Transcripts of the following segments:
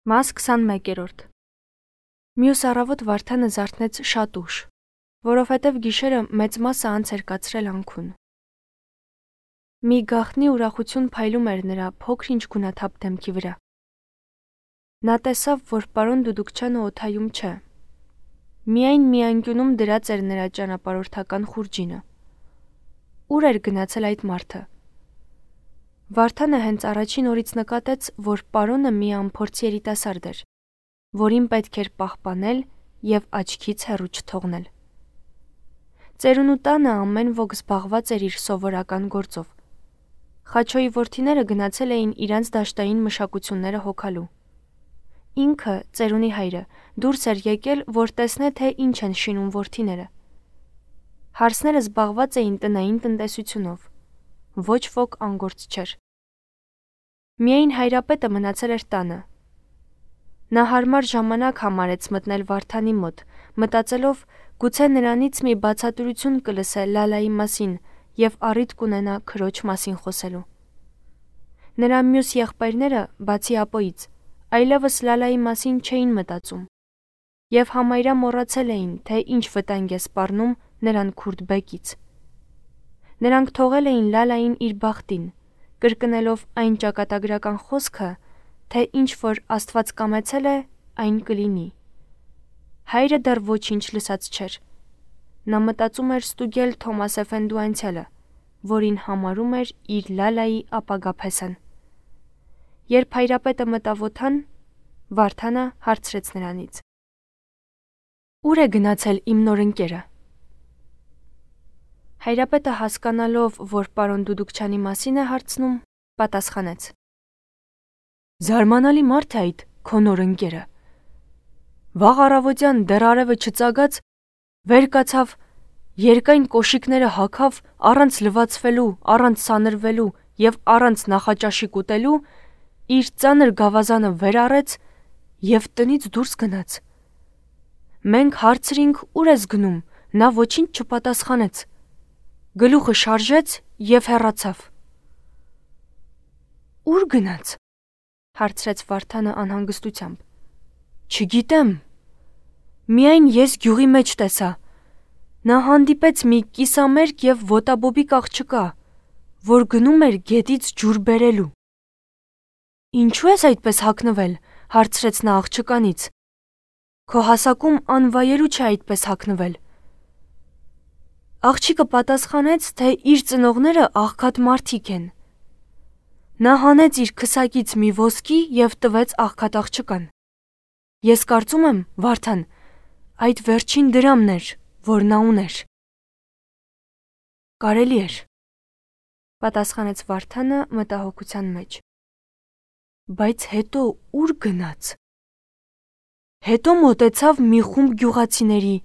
Մաս 21-րդ Մյուս առավոտ Վարդանը զարթնեց շատ ուշ, որովհետև գիշերը մեծ մասը անց էր կացրել անքուն։ Մի գաղտնի ուրախություն փայլում էր նրա փոքր-ինչ գունաթափ դեմքի վրա։ Նա տեսավ, որ պարոն Դուդուկչյանը օդայում չէ։ Միայն մի անկյունում դրած էր նրա ճանապարհորդական խուրջինը։ Ուր էր գնացել այդ մարդը։ Վարդանը հենց առաջին օրից նկատեց, որ պարոնը մի անփորձ երիտասարդ էր, որին պետք էր պահպանել և աչքից հեռու չթողնել։ Ծերունու տանը ամեն ոք զբաղված էր իր սովորական գործով։ Խաչոյի որդիները գնացել էին իրանց դաշտային մշակությունները հոգալու։ Ինքը, ծերունի հայրը, դուրս էր եկել, որ տեսնե, թե ինչ են շինում որդիները։ Հարսները զբաղված էին տնային տնտեսությունով։ Ոչ ոք անգործ չէր։ Միայն հայրապետը մնացել էր տանը։ Նա հարմար ժամանակ համարեց մտնել Վարդանի մոտ, մտածելով գուցե նրանից մի բացատրություն կլսե Լալայի մասին և առիթ կունենա քրոջ մասին խոսելու։ Նրա մյուս եղբայրները, բացի Ապոյից, այլևս Լալայի մասին չէին մտածում և համարյա մոռացել էին, թե ինչ վտանգ է սպառնում նրան քուրդ բեկից։ Նրանք թողել էին Լալային իր բախտին, կրկնելով այն ճակատագրական խոսքը, թե ինչ որ Աստված կամեցել է, այն կլինի։ Հայրը դեռ ոչինչ լսած չէր։ Նա մտածում էր ստուգել Թոմաս Էֆենդու անցյալը, որին համարում էր իր Լալայի ապագա փեսան։ Երբ հայրապետը մտավ օդան, Վարդանը հարցրեց նրանից. «Ուր է գնացել իմ նոր ընկերը»։ Հայրապետը հասկանալով, որ պարոն Դուդուկչյանի մասին է հարցնում, պատասխանեց. «Զարմանալի մարդ է այդ քո նոր ընկերը։ Վաղ առավոտյան դեռ արևը չծագած, վեր կացավ, երկայն կոշիկները հագավ, առանց լվացվելու, առանց սանրվելու և առանց նախաճաշի ուտելու, իր ծանր գավազանը վեր առեց և տնից դուրս գնաց։ Մենք հարցրինք՝ ուր ես գնում, նա ոչինչ չպատասխանեց։ Գլուխը շարժեց և հեռացավ»։ «Ուր գնաց»։ հարցրեց Վարդանը անհանգստությամբ։ «Չգիտեմ։ Միայն ես գյուղի մեջ տեսա։ Նա հանդիպեց մի կիսամերկ և ոտաբոբիկ աղջկա, որ գնում էր գետից ջուր բերելու»։ «Ինչու ես այդպես հագնվել»։ հարցրեց նա աղջկանից։ «Քո հասակում անվայելու չէ այդպես հագնվել»։ Աղջիկը պատասխանեց, թե իր ծնողները աղքատ մարդիկ են։ Նա հանեց իր քսակից մի ոսկի և տվեց աղքատ աղջկան։ Ես կարծում եմ, Վարդան, այդ վերջին դրամն էր, որ նա ուներ»։ «Կարելի էր», պատասխանեց Վարդանը մտահոգության մեջ։ «Բայց հետո ուր գնաց»։ Հետո մոտեցավ մի խումբ գյուղացիների,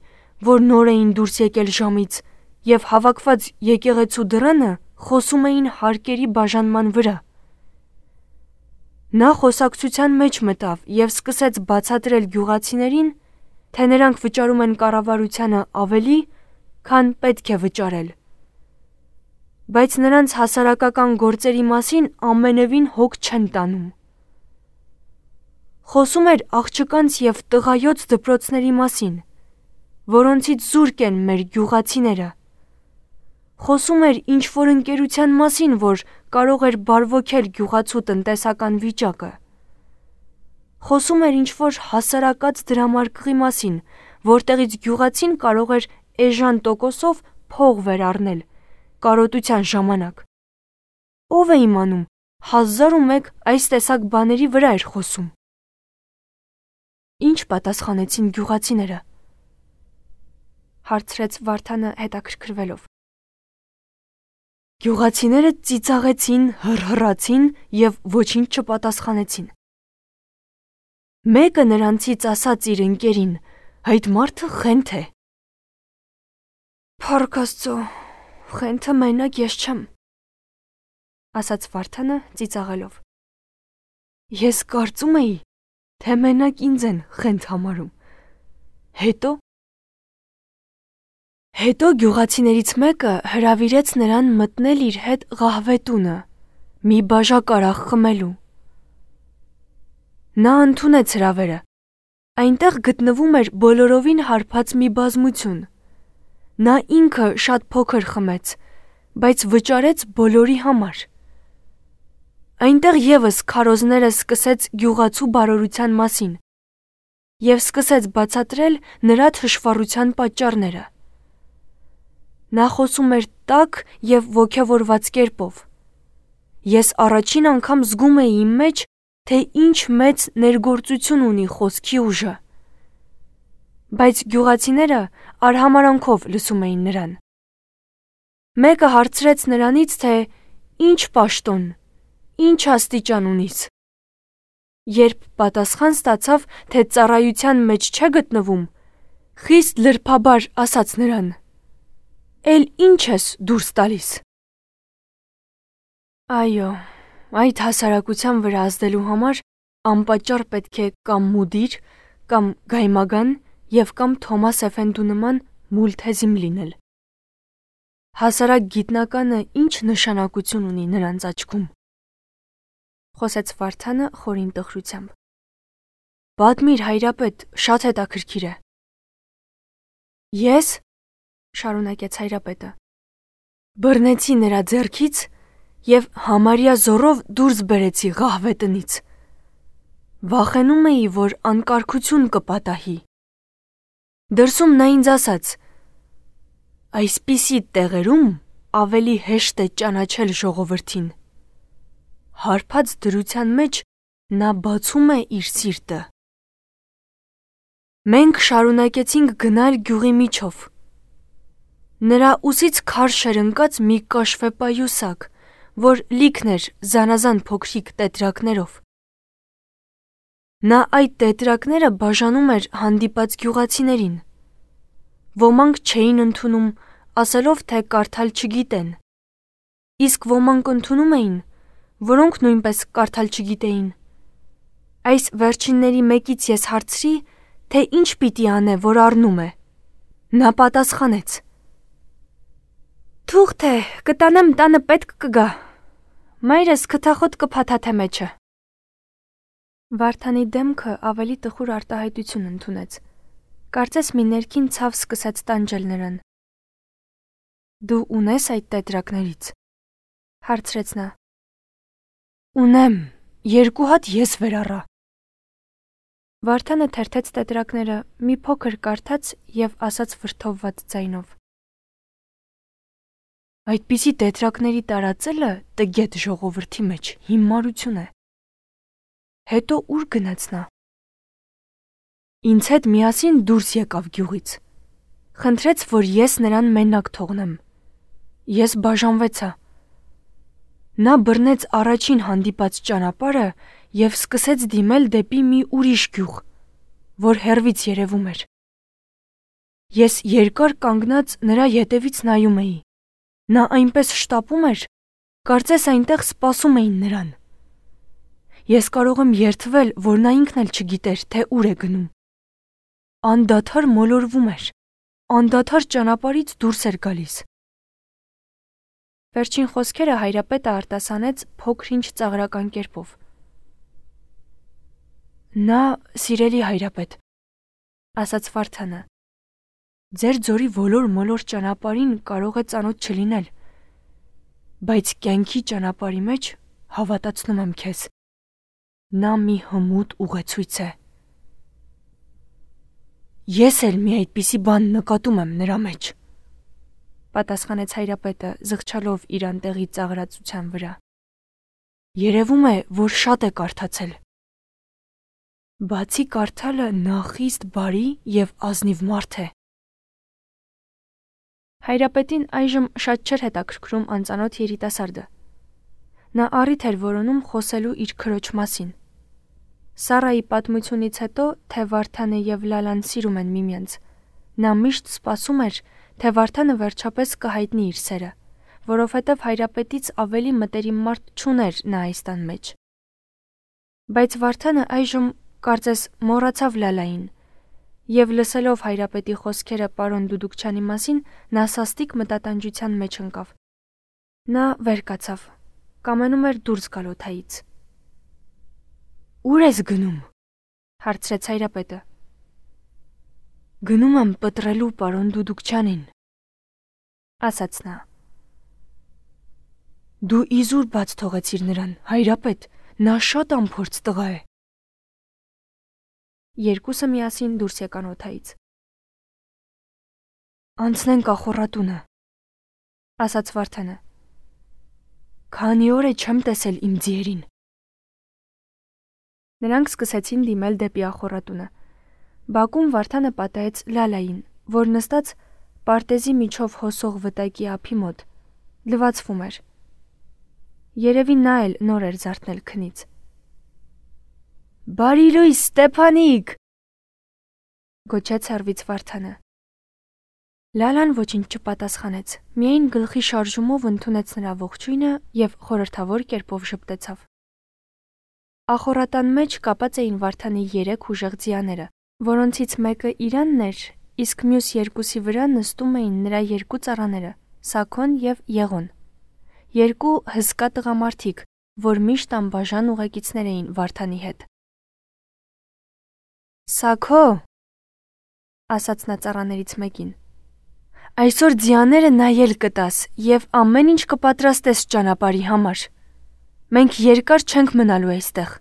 որ նոր էին դուրս եկել ժամից և հավաքված եկեղեցու դռանը խոսում էին հարկերի բաժանման վրա։ Նա խոսակցության մեջ մտավ և սկսեց բացատրել գյուղացիներին, թե նրանք վճարում են կառավարությանը ավելի, քան պետք է վճարել, բայց նրանց հասարակական գործերի մասին ամենևին հոգ չեն տանում։ Խոսում էր աղջկանց և տղայոց դպրոցների մասին, որոնցից զուրկ են մեր գյուղացիները։ Խոսում էր ինչ-որ ընկերության մասին, որ կարող էր բարվոքել գյուղացու տնտեսական վիճակը։ Խոսում էր ինչ-որ հասարակած դրամարկղի մասին, որտեղից գյուղացին կարող էր էժան տոկոսով փող վեր առնել կարոտության ժամանակ։ Ով է իմանում, 1001 այս տեսակ բաների վրա էր խոսում։ «Ինչ պատասխանեցին գյուղացիները»։ հարցրեց Վարդանը հետաքրքրվելով։ Գյուղացիները ծիծաղեցին, հռհռացին և ոչինչ չպատասխանեցին։ Մեկը նրանցից ասաց իր ընկերին. «Այդ մարդը խենթ է»։ «Փառք Աստծո, խենթը մենակ ես չեմ», ասաց Վարդանը ծիծաղելով։ «Ես կարծում էի, թե մենակ ինձ են խենթ համարում։ Հետո գյուղացիներից մեկը հրավիրեց նրան մտնել իր հետ Ղահվետունը, մի բաժակ արահ խմելու։ Նա ընդունեց հրավերը։ Այնտեղ գտնվում էր բոլորովին հարբած մի բազմություն։ Նա ինքը շատ փոքր խմեց, բայց վճարեց բոլորի համար։ Այնտեղ եւս քարոզները սկսեց գյուղացու բարօրության մասին եւ սկսեց բացատրել նրա թշվառության պատճառները։ Նա խոսում էր տաք եւ ոգևորված կերպով։ Ես առաջին անգամ զգում էի իմ մեջ, թե ինչ մեծ ներգործություն ունի խոսքի ուժը։ Բայց գյուղացիները արհամարանքով լսում էին նրան։ Մեկը հարցրեց նրանից, թե ինչ պաշտոն, ինչ աստիճան ունիս։ Երբ պատասխան ստացավ, թե ծառայության մեջ չէ գտնվում, խիստ լրբաբար ասաց նրան. «Էլ ինչ ես դուրս տալիս»։ Այո, այդ հասարակության վրա ազդելու համար անպատճառ պետք է կամ մուդիր, կամ գայմագան եւ կամ Թոմաս Էֆենդու նման մուլթեզիմ լինել։ Հասարակ գիտնականը ինչ նշանակություն ունի նրանց աչքում։ Խոսեց Վարդանը խորին տխրությամբ։ Պատմիր, հայրապետ, շատ հետաքրքիր է։ Ես, շարունակեց հայրապետը, բռնեցի նրա ձեռքից եւ համարյա զորով դուրս բերեցի ղահվետնից։ Վախենում էի, որ անկարգություն կպատահի։ Դրսում նա ինձ ասաց. «Այսպիսի տեղերում ավելի հեշտ է ճանաչել ժողովրդին»։ Հարբած դրության մեջ նա բացում է իր սիրտը։ Մենք շարունակեցինք գնալ գյուղի միջով։ Նրա ուսից քարշ էր ընկած մի կաշվեպայուսակ, որ լիքն էր զանազան փոքրիկ տետրակներով։ Նա այդ տետրակները բաժանում էր հանդիպած գյուղացիներին։ Ոմանք չէին ընդունում, ասելով, թե կարդալ չգիտեն, իսկ ոմանք ընդունում էին, որոնք նույնպես կարդալ չգիտեին։ Այս վերջինների մեկից ես հարցրի, թե ինչ պիտի անե, որ առնում է։ Նա պատասխանեց. «Թուղթ է, կտանեմ տանը պետք կգա։ Մայրս քթախոտ կփաթաթե մեջը»։ Վարդանի դեմքը ավելի տխուր արտահայտություն ընդունեց։ Կարծես մի ներքին ցավ սկսեց տանջել նրան։ Դու ունես այդ տետրակներից, հարցրեց նա։ Ունեմ, 2 հատ ես վեր առա։ Վարդանը թերթեց տետրակները, մի փոքր կարդաց եւ ասաց վրդովված ձայնով. Այդպիսի տետրակների տարածելը տգետ ժողովրդի մեջ հիմարություն է։ Հետո ուր գնաց նա։ Ինձ հետ միասին դուրս եկավ գյուղից։ Խնդրեց, որ ես նրան մենակ թողնեմ։ Ես բաժանվեցա։ Նա բռնեց առաջին հանդիպած ճանապարհը եւ սկսեց դիմել դեպի մի ուրիշ գյուղ, որ հեռվից երևում էր։ Ես երկար կանգնած նրա ետևից նայում էի։ Նա այնպես շտապում էր, կարծես այնտեղ սպասում էին նրան։ Ես կարող եմ երդվել, որ նա ինքն էլ չգիտեր, թե ուր է գնում։ Անդադար մոլորվում էր, անդադար ճանապարհից դուրս էր գալիս։ Վերջին խոսքերը հայրապետը արտասանեց փոքր-ինչ ծաղրական կերպով։ Նա, սիրելի հայրապետ, ասաց Վարդանը, ձեր ձորի ոլոր-մոլոր ճանապարհին կարող է ծանոթ չլինել, բայց կյանքի ճանապարհի մեջ հավատացնում եմ քեզ, նա մի հմուտ ուղեցույց է։ Ես էլ մի այդպիսի բան նկատում եմ նրա մեջ, պատասխանեց հայրապետը, զղջալով իր անտեղի ծաղրածության վրա։ Երևում է, որ շատ է կարդացել։ Բացի կարդալը նա խիստ բարի եւ ազնիվ մարդ է։ Հայրապետին այժմ շատ չէր հետաքրքրում անծանոթ երիտասարդը։ Նա առիթ էր որոնում խոսելու իր քրոջ մասին։ Սարայի պատմությունից հետո, թե Վարդանը եւ Լալան սիրում են միմյանց, նա միշտ սպասում էր, թե Վարդանը վերջապես կհայտնի իր սերը, որովհետև հայրապետից ավելի մտերիմ մարդ չուներ նա այս տան մեջ։ Բայց Վարդանը այժմ կարծես մոռացավ Լալային, եւ լսելով հայրապետի խոսքերը պարոն Դուդուկչյանի մասին, նա սաստիկ մտատանջության մեջ ընկավ։ Նա վեր կացավ, կամենում էր դուրս գալ օդայից։ Ուր ես գնում, Հարցրեց Հայրապետը։ Գնում եմ պտրելու պարոն Դուդուկչյանին, ասաց նա։ Դու իզուր բաց թողեցիր նրան, Հայրապետ, նա շատ անփորձ տղա է։ Երկուսը միասին դուրս եկան օդայից։ Անցնենք ախոռատունը, ասաց Վարդանը։ Քանի օր է չեմ տեսել իմ ձիերին։ Նրանք սկսեցին դիմել դեպի ախոռատունը։ Բակում Վարդանը պատահեց Լալային, որ նստած պարտեզի միջով հոսող վտակի ափի մոտ լվացվում էր։ Երևի նա էլ նոր էր զարթնել քնից։ Բարի լույս, Ստեփանիկ, գոչեց հեռվից Վարդանը։ Լալան ոչինչ չպատասխանեց, միայն գլխի շարժումով ընդունեց նրա ողջույնը և խորհրդավոր կերպով ժպտեցավ։ Ախոռատան մեջ կապած էին Վարդանի 3 ուժեղ ձիաները, որոնցից մեկը Իրանն էր, իսկ մյուս երկուսի վրա նստում էին նրա 2 ծառաները՝ Սաքոն և Եղոն։ 2 հսկա տղամարդիկ, որ միշտ անբաժան ուղեկիցներ էին Վարդանի հետ։ Սաքո, ասաց նա ծառաներից մեկին, այսօր ձիաները նայել կտաս և ամեն ինչ կպատրաստես ճանապարհի համար։ Մենք երկար չենք մնալու այստեղ։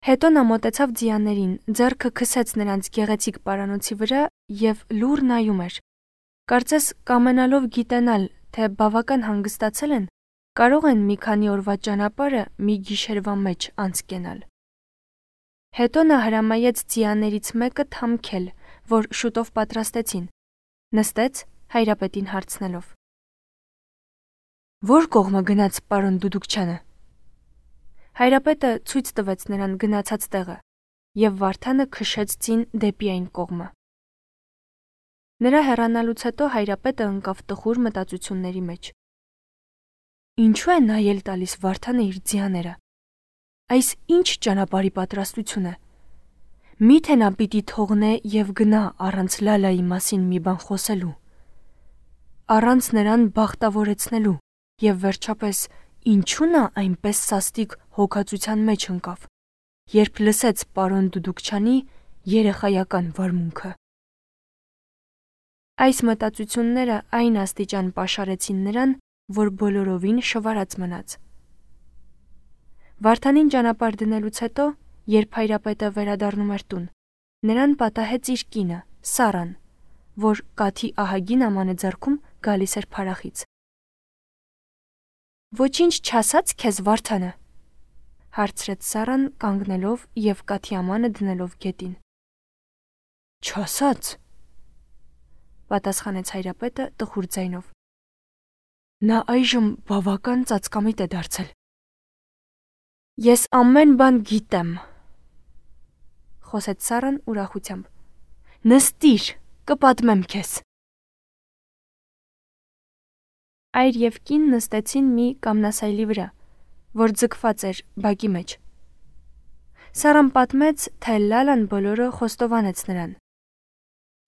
Հետո նա մոտեցավ ձիաներին, ձեռքը քսեց նրանց գեղեցիկ պարանոցի վրա և լուռ նայում էր։ Կարծես կամենալով գիտենալ, թե բավական հանգստացել են, կարող են մի քանի օրվա ճանապարհը մի գիշերվա մեջ անցկենալ։ Հետո նա հրամայեց ձիաներից մեկը թամքել, որ շուտով պատրաստեցին։ Նստեց Հայրապետին հարցնելով. Որ կողմը գնաց պարոն Դուդուկչյանը։ Հայրապետը ցույց տվեց նրան գնացած տեղը, և Վարդանը քշեց ձին դեպի այն կողմը։ Նրա հեռանալուց հետո Հայրապետը ընկավ տխուր մտածությունների մեջ։ Ինչու է նայել տալիս Վարդանը իր ձիաները։ Այս ինչ ճանապարհի պատրաստություն է։ Միթե նա պիտի թողնե և գնա առանց Լալայի մասին մի բան խոսելու, առանց նրան բախտավորեցնելու, և վերջապես ինչու նա այնպես սաստիկ հոգածության մեջ ընկավ, երբ լսեց պարոն Դուդուկչյանի երեխայական վարմունքը։ Այս մտածությունները այն աստիճան պաշարեցին նրան, որ բոլորովին շվարած մնաց։ Վարդանին ճանապարհ դնելուց հետո, երբ Հայրապետը վերադառնում էր տուն, նրան պատահեց իր կինը, Սարան, որ կաթի ահագին ամանը ձեռքում գալիս էր փարախից։ Ոչինչ չասաց քեզ Վարդանը, հարցրեց Սարան կանգնելով և կաթի ամանը դնելով գետին։ Չասաց, պատասխանեց Հայրապետը տխուր ձայնով։ Նա այժմ բավական ծածկամիտ է դարձել։ Ես ամեն բան գիտեմ, խոսեց Սարան ուրախությամբ։ Նստիր, կպատմեմ քեզ։ Այր և կին նստեցին մի կամնասայլի վրա, որ ձգված էր բակի մեջ։ Սարան պատմեց, թե Լալան բոլորը խոստովանեց նրան։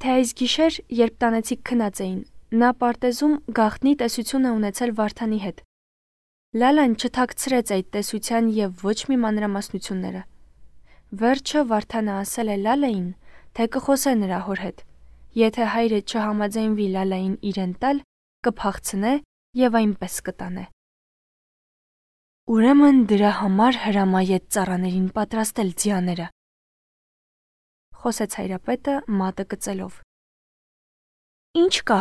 Թե այս գիշեր, երբ տանեցիք քնած էին, նա պարտեզում գաղտնի տեսություն է ունեցել Վարդանի հետ։ Լալան չթաքցրեց այդ տեսության և ոչ մի մանրամասնությունները։ Վերջը Վարդանը ասել է Լալային, թե կխոսե նրա հոր հետ։ Եթե հայրը չհամաձայնվի Լալային իրեն տալ, կփախցնե և այնպես կտանե։ Ուրեմն դրա համար հրամայեց ծառաներին պատրաստել ձիաները, խոսեց Հայրապետը մատը կծելով։ Ինչ կա,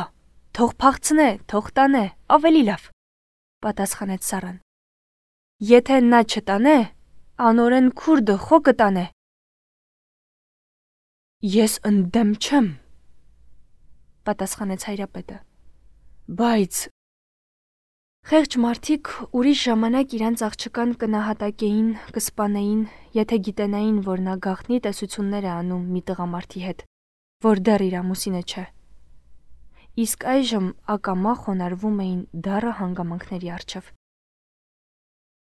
թող փախցնե, թող տանե, ավելի լավ, պատասխանեց Սարան։ Եթե նա չտանե, անօրեն քուրդը խո կտանե։ Ես ընդդեմ չեմ, պատասխանեց Հայրապետը։ Բայց խեղճ մարդիկ ուրիշ ժամանակ իրանց աղջկան կնահատակեին, կսպանեին, եթե գիտենային, որ նա գաղտնի տեսություններ է անում մի տղամարդի հետ, որ դեռ իր ամուսինը չէ։ Իսկ այժմ ակամա խոնարհվում էին դառը հանգամանքների առջև։